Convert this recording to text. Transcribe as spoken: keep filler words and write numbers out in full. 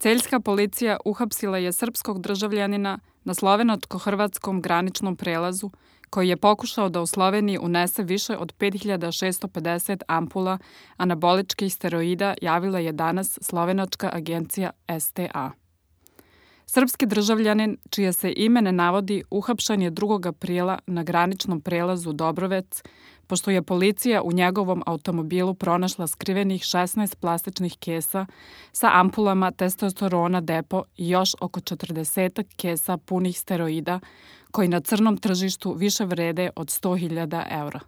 Celjska policija uhapsila je srpskog državljanina na slovenačko-hrvatskom graničnom prelazu koji je pokušao da u Sloveniji unese više od pet hiljada šesto pedeset ampula anaboličkih steroida, javila je danas slovenačka agencija S T A. Srpski državljanin, čije se ime ne navodi, uhapšen je drugog aprila na graničnom prelazu Dobrovec, pošto je policija u njegovom automobilu pronašla skrivenih šesnaest plastičnih kesa sa ampulama testosterona depo i još oko četrdeset kesa punih steroida, koji na crnom tržištu više vrede od sto hiljada eura.